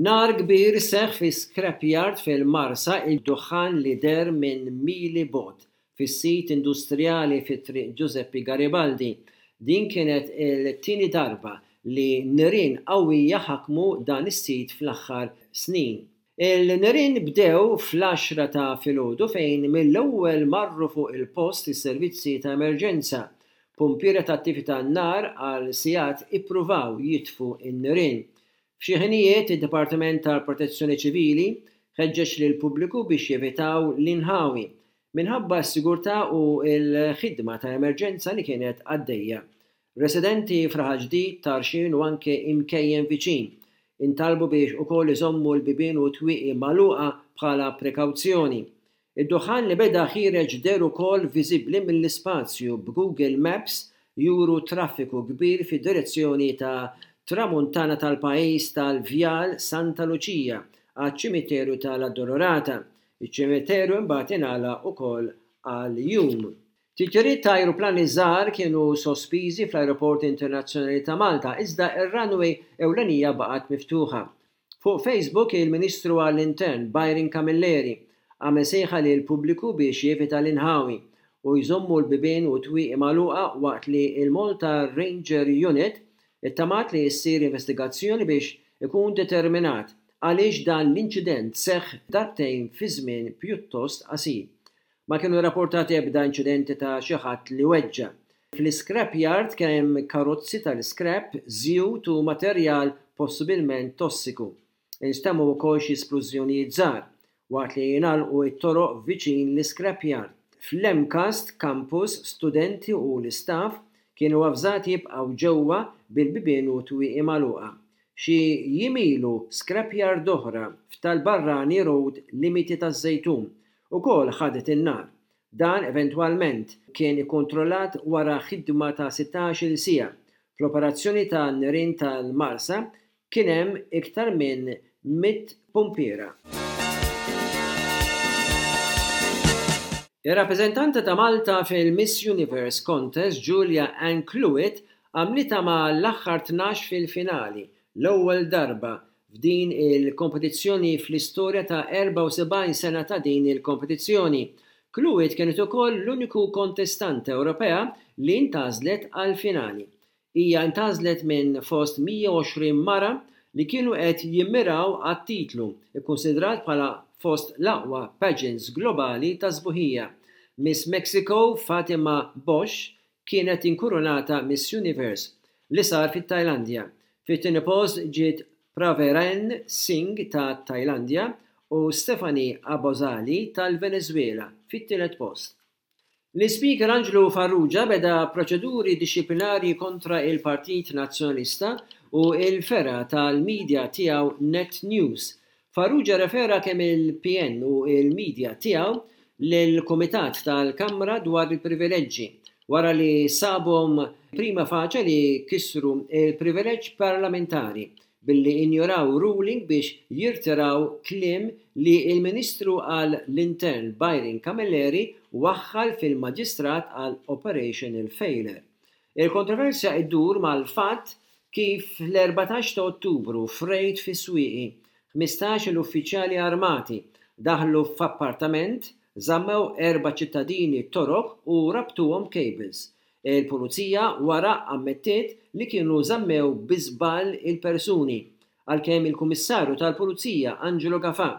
Nar kbir seħħ fi scrapyard fil-Marsa id-duħħan li deher minn mili bogħod fis-sit industrijali fi Triq Giuseppe Garibaldi. Din kienet il-tieni darba li nirien qawwija ħakmu dan is-sit fl-aħħar snin. Il-nirien bdew fl-għaxra ta' filgħodu fejn mill-ewwel marru fuq il-post is-servizzi ta' emerġenza. Pumpiera tat-tifi tan-nar għal sigħat ippruvaw jitfu n-nirien. F'xi ħinijiet id-Dipartiment tal-Protezzjoni Ċivili ħeġġeġ lill-pubbliku biex jevitaw l-inħawi minħabba s-sigurtà u l-ħidma ta' emerġenza li kienet għaddejja. Residenti f'Raħal Ġdid, Tarxien u anke imkejjen viċin intalbu biex ukoll iżommu l-bibien u t-twieqi magħluqa bħala prekawzjoni. Id-duħħan li beda ħiereġ deher ukoll viżibbli mill-ispazju b'Google Maps juru traffiku kbir fid-direzzjoni ta' Tramuntana tal-pajjiż tal-Vjal Santa Luċija għaċ-Ċimiterju tal-Addolorata. Iċ-ċimiterju imbagħad ingħalaq ukoll għal jum. Titjiriet ta' ajruplani żgħar kienu sospiżi fl-Ajruport Internazzjonali ta' Malta iżda r-runway ewlenija baqgħet miftuħa. Fuq Facebook il-Ministru għall-Intern Byron Camilleri għamel sejħa lill-pubbliku biex jevita l-inħawi u jżommu l-bibien u t-twieqi magħluqa waqt li l-Malta Ranger Unit ittamat li ssir investigazzjoni biex ikun determinat għaliex dan l-inċident seħħ darbtejn fi żmien pjuttost qasir. Ma kienu rrapportati ebda inċidenti ta' xi ħadd li weġġa'. Fl-iscrap yard kien hemm karozzi tal-iscrap, żjut u materjal possibilment tossiku. Instemgħu wkoll xi splużjonijiet żgħar, waqt li ngħalqu t-toroq viċin l-iscrap yard. Fl-MCAST campus, studenti u l-istaff kienu avżati jibqgħu ġewwa bil-bibien u t-twieqi magħluqa. Xi jiem ilu scrap yard oħra f'Tal-Barrani Road limiti taż-Żejtun ukoll ħadet in-nar. Dan eventwalment kien ikkontrollat wara ħidma ta' 16-il siegħa. Fl-operazzjoni ta' nirien tal-Marsa kien hemm iktar minn 100 pumpiera. Ir-rappreżentanta ta' Malta fil-Miss Universe Contest Julia Ann Cluett għamlitha ma' l-aħħar 12 fil-finali, l-ewwel darba f'din il-kompetizzjoni fl-istorja ta' 74 sena ta' din il-kompetizzjoni. Cluett kienet ukoll l-uniku kontestanta Ewropea li ntgħażlet għall-finali. Hija ntgħażlet minn fost 120 mara li kienu qed jimmiraw għat-titlu, ikkunsidrat bħala fost l-aqwa pageants globali tas-sbuħija. Miss Mexico Fatima Bosch kienet inkurunata Miss Universe, li sar fit-Tajlandja. Fit-tieni post ġiet Praveren Singh tat-Tajlandja u Stephanie Abozali tal-Veneżwela fit-tielet post. L-Ispeaker Anġlu Farrugia beda proċeduri dixxiplinarji kontra il-Partit Nazzjonalista u l-fergħa tal-media tiegħu Net News Farrugia rrefera kemm il-PN u l-media tiegħu lill-Kumitat tal-Kamra dwar il-Privileġġi wara li sabhom prima facie li kisru l-privileġġ parlamentari billi injoraw ruling biex jirtiraw kliem li l-Ministru għal l-Intern Byron Camilleri waħħal fil-Maġistrat għal operational failure. Il-kontroversja iddur mal-fatt kif fl-14 ta' Ottubru f'rejd fis-Swieqi, 15-il uffiċjali armati daħlu f'appartament, żammew erba' ċittadini Torok u rabtuhom b'cables. Il-Pulizija wara ammettiet li kienu żammew bi żball il-persuni, għalkemm il-Kummissarju tal-Pulizija Angelo Gafà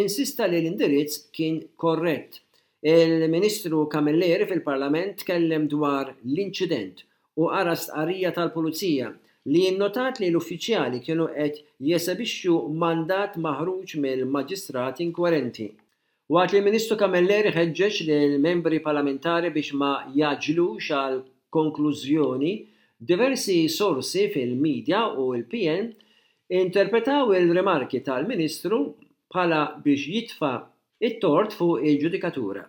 insista li l-indirizz kien korrett. Il-Ministru Camilleri fil-Parlament tkellem dwar l-inċident u qara stqarrija tal-Pulizija li nnotat li l-uffiċjali kienu qed jesebixxu mandat maħruġ mill-Maġistrat inkwerenti. Waqt li l-Ministru Camilleri ħeġġeġ lill-Membri Parlamentari biex ma jgħaġġlux għal konklużjoni, diversi sorsi fil-media u l-PN interpretaw il-rimarki tal-Ministru bħala biex jitfa' It-tort fuq il-ġudikatura.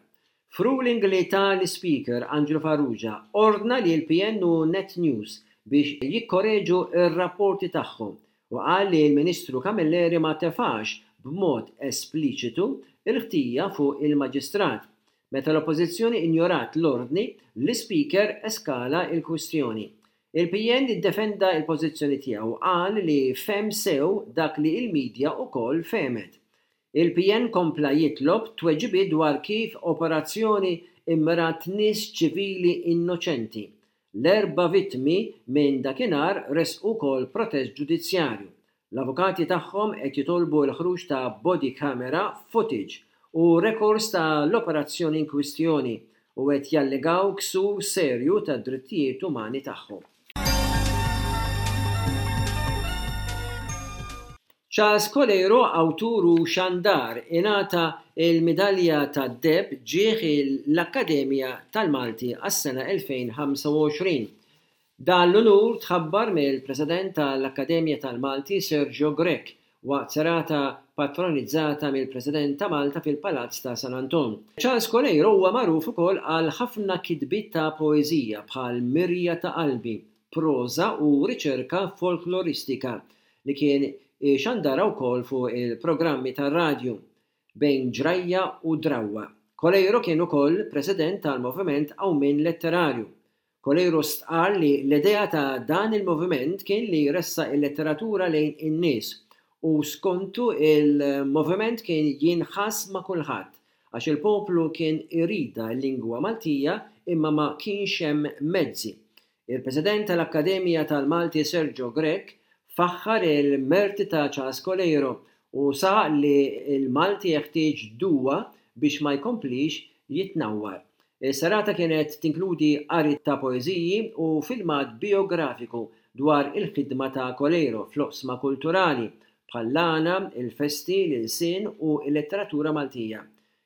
F'ruling li ta l-Ispeaker Angelo Farrugia ordna li l-PN u Net News biex jikkoreġu r-rapporti tagħhom u qal li l-Ministru Camilleri ma tefax b'mod espliċitu l-ħtija fuq il-Maġistrat. Meta l-Oppożizzjoni injorat l-ordni, l-Ispeaker eskala l-kwistjoni. Il-PN iddefenda l-pożizzjoni tiegħu u qal li fehem sew dak li l-media ukoll fehmet. Il-PN kompla jitlob tweġibiet dwar kif operazzjoni mmirat nies ċivili innoċenti. L-erba' vittmi minn dakinhar ressqu wkoll protest ġudizzjarju. L-avukati tagħhom qed jitolbu l-ħruġ ta' body camera footage u rekords ta' l-operazzjoni inkwistjoni u qed jallegaw ksur serju tad-drittijiet umani tagħhom. Charles Coleiro, awtur u xandar, ingħata l-Midalja tad-Deheb ġieħ l-Akkademja tal-Malti għas-sena 2025. Dan l-unur tħabbar mill-President tal-Akkademja tal-Malti Sergio Grech waqt serata patronizzata mill-President ta' Malta fil-Palazz ta' San Anton. Charles Coleiro huwa magħruf ukoll għal ħafna kitbiet ta' poeżija bħal Mirja ta' Qalbi, proża u riċerka folkloristika li kien ixandarha wkoll fuq il-programmi tar-radju Bejn Ġrajja u Drawwa. Coleiro kien ukoll President tal-Moviment Qawmien Letterarju. Coleiro stqarr li l-idea ta' dan il-moviment kien li jressaq il-letteratura lejn in-nies u skontu il-moviment kien jinħass ma' kulħadd għax il-poplu kien iridha l-lingwa Maltija imma ma kienx hemm mezzi. Il-President tal-Akkademja tal-Malti Sergio Grech faħħar il-merti ta' Charles Coleiro u saħaq li l-Malti jeħtieġ duwa biex ma jkomplix jitnawwar. Is-serata kienet tinkludi qari ta' poeżiji u filmat bijografiku dwar il-ħidma ta' Coleiro fl-oqsma kulturali, bħall-għana, il-festi, l-ilsien u l-letteratura Maltija.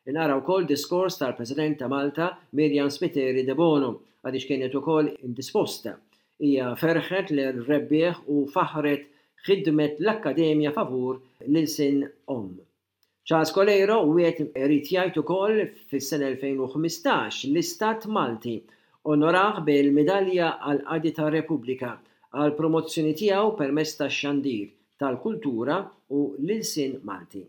Inqara wkoll diskors tal-President ta' Malta, Myriam Spiteri Debono, għaliex kienet ukoll indisposta. Hija ferħet lir-rebbieħ u faħħret ħidmet l-Akkademja favur l-ilsien omm. Charles Coleiro wieħed irid jgħid ukoll fis-sena 2015 l-Istat Malti onorah bil-Midalja għall-Qadi tar-Repubblika għall-promozzjoni tiegħu permezz tax-xandir, tal-kultura u l-ilsien Malti.